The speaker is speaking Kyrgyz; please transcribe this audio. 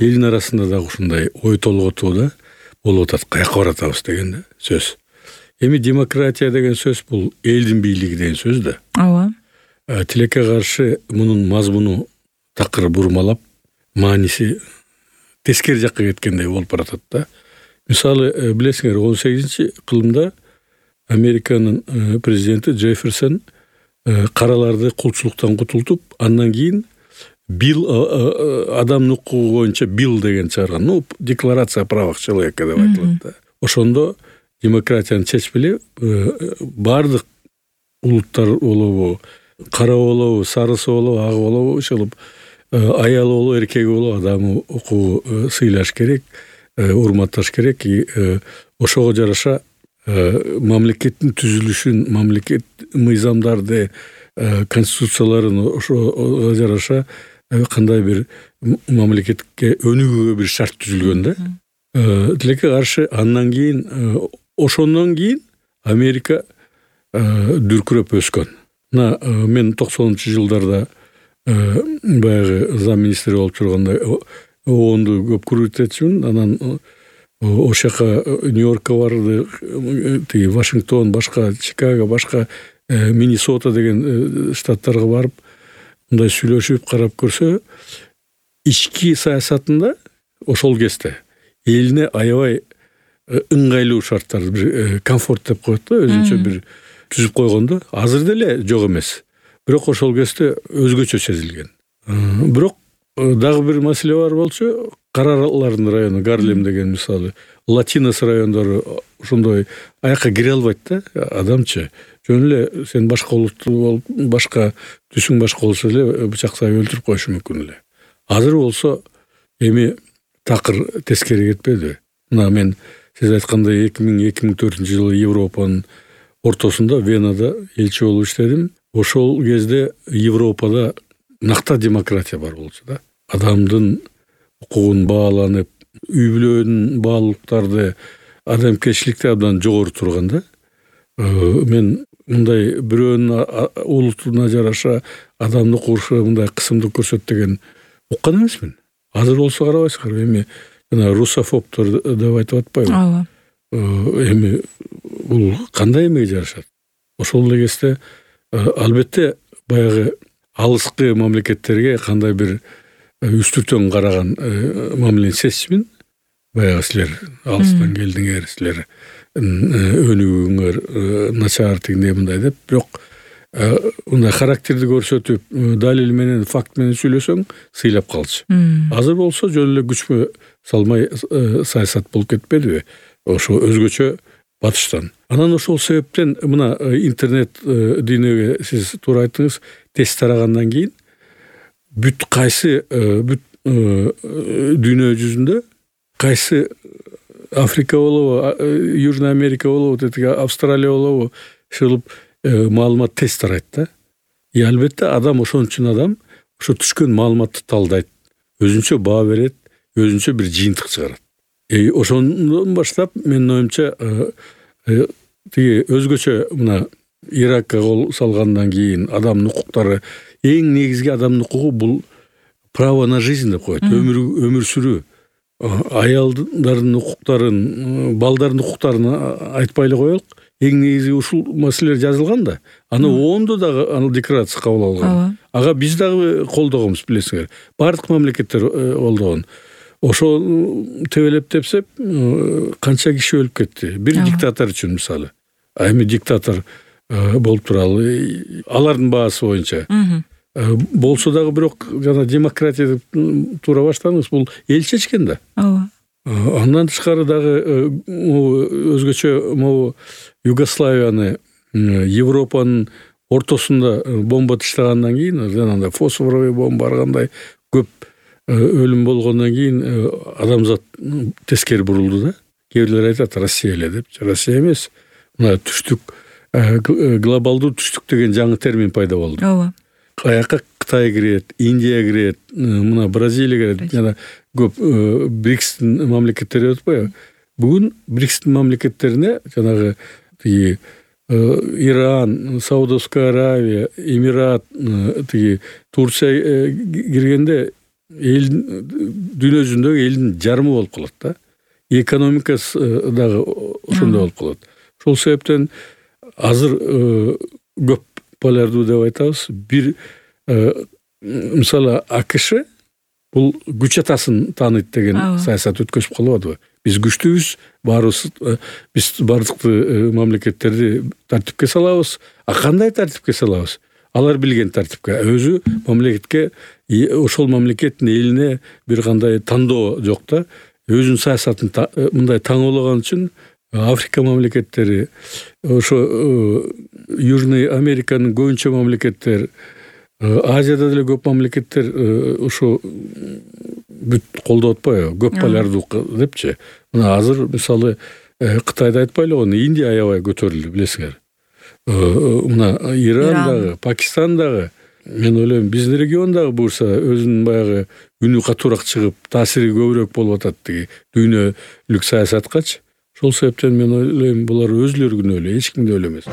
элдин арасында дагы ушундай ой толготуу да болуп атат. Каяка баратабыз деген да сөз. Эми демократия деген сөз бул элдин бийлиги деген сөз да. Ооба. Тилекке каршы мунун мазмуну такыр бурмалап, мааниси тескери жакка кеткендей болуп баратат да. Мисалы, билесиңер, 18-кылымда Американын президенти Джефферсон караларды кулчулуктан кутултуп, андан кийин бил адамдын укугу боюнча бил деген чыгарган. Декларация о правах человека деп айтылат да. Ошондо демократияны чечпеле бардык улуттар болобу, кара болобу, сарысы болобу, агы болобу, ошолуп аялы болобу, эркеги болобу адамдын укугу сыйлаш керек, урматташ керек. Ошого жараша мамлекеттин түзүлүшүн, мамлекет мыйзамдарды, конституцияларын ошого жараша кандай бир мамлекетке өнүгүүгө бир шарт түзүлгөн да. Тилекке каршы андан кийин ошондон кийин Америка дүркүрөп өскөн. Мен 90-жылдарда баягы замминистр болуп жүргөндө ООНду көп көрүп анан ошол жака Нью-Йоркко барды, тиги Вашингтон, башка Чикаго, башка Миннесота деген штаттарга барып, мындай сүйлөшүп карап көрсө, ички саясатында ошол кезде элине аябай ыңгайлуу шарттарды, бир комфорт деп коет да, өзүнчө бир түзүп койгондо, азыр деле жок эмес. Бирок ошол кезде өзгөчө сезилген. Бирок дагы бир маселе бар болчу, каралардын району, Гарлем деген мисалы, Латинос райондору ошондой аяка кире албайт да, адамчы. Жөн эле сен башка улуттуу болуп, башка түсүң башка болсо эле бычактай өлтүрүп коюшу мүмкүн эле. Азыр болсо эми такыр тескери кетпеди. Мен сиз айткандай 2004-жылы Европанын ортосунда Венада элчи болуп иштедим. Ошол кезде Европада накта демократия бар болчу да. Адамдын укугун бааланып, үй-бүлөнүн баалуулуктарды, адамгерчиликти абдан жогору турган да. Мен мындай бирөөнүн улутуна жараша адамды укугуна мындай кысымдуу көрсөт деген уккан эмесмин. Азыр болсо карабайсыңар, эми жана русофобтор деп айтып атпайбы? Ооба. Эми бул кандай эмеге жарашат? Ошол эле кезде албетте баягы алыскы мамлекеттерге кандай бир үстүртөн караган мамилени сезчүмүн. Баягы силер алыстан келдиңер, силер өнүгүүңөр начар тигиндей мындай деп, бирок мындай характерди көрсөтүп, далил менен, факт менен сүйлөсөң сыйлап калчу. Азыр болсо жөн эле күчкө салмай саясат болуп кетпедиби? Ошо өзгөчө батыштан. Анан ошол себептен мына интернет дүйнөгө сиз туура айттыңыз, тез тарагандан кийин бүт кайсы дүйнө жүзүндө кайсы Африка болобу, Южный Америка болобу, Австралия болобу, ушул маалымат тез тарайт да. Албетте адам ошон үчүн адам ошо түшкөн маалыматты талдайт, өзүнчө баа берет, өзүнчө бир жыйынтык чыгарат. Ошондон баштап менин оюмча тиги өзгөчө мына Иракка кол салгандан кийин адамдын укуктары, эң негизги адамдын укугу бул право на жизнь деп коет, өмүр сүрүү. Аялдардын укуктарын, балдардын укуктарын айтпай эле коелук. Эң негизги ушул маселелер жазылган да. Аны ООНдо дагы декларация кабыл алган. Ага биз дагы колдогонбуз, билесиңер. Бардык мамлекеттер колдогон. Ошо тебелеп тепсеп, канча киши өлүп кетти. Бир диктатор үчүн мисалы. Эми диктатор болуп туралы, алардын баасы боюнча. Болсо дагы бирок жана демократия деп туура баштадыңыз, бул эл чечкен да. Ооба. Андан тышкары дагы өзгөчө могу Югославияны Европанын ортосунда бомба таштагандан кийин, жанагындай фосфоровый бомба баргандай көп өлүм болгондон кийин адамзат тескери бурулду да. Кээ бирлер айтат Россия эле деп. Россия эмес. Мына түштүк, глобалдуу түштүк деген жаңы термин пайда болду. Ооба. Аяка Кытай кирет, Индия кирет, мына Бразилия кирет, жана көп БРИКСтин мамлекеттери өтпөйбү? Бүгүн БРИКСтин мамлекеттерине жанагы тиги Иран, Саудовская Аравия, Эмират, тиги Турция киргенде дүйнө жүзүндөгү элдин жарымы болуп калат да. Экономикасы дагы ошондой болуп калат. Ошол себептен азыр көп полярдуу деп айтабыз. Бир мисалы АКШ бул күч атасын тааныйт деген саясат өткөзүп калбадыбы? Биз күчтүүбүз, баарыбыз биз бардык мамлекеттерди тартипке салабыз. Кандай тартипке салабыз? Алар билген тартипке. Өзү мамлекетке, ошол мамлекеттин элине бир кандай тандоо жок да. Өзүнүн саясатын мындай таңоолаган үчүн Африка мамлекеттери, ошо Южный Американын көбүнчө мамлекеттер, Азияда деле көп мамлекеттер ошо бүт колдоп атпайбы? Көп полярдуулук депчи. Мына азыр мисалы Кытайды айтпайлы го, Индия аябай көтөрүлдү, билесиңер. Мына Иран дагы, Пакистан дагы. Мен ойлойм, биздин регион дагы буюрса өзүнүн баягы үнү катуураак чыгып, таасири көбүрөөк болуп атат тиги дүйнөлүк саясаткачы. Ошол себептен мен ойлойм, булар өзүлөрү күнөөлүү, эч кимди эле эмес.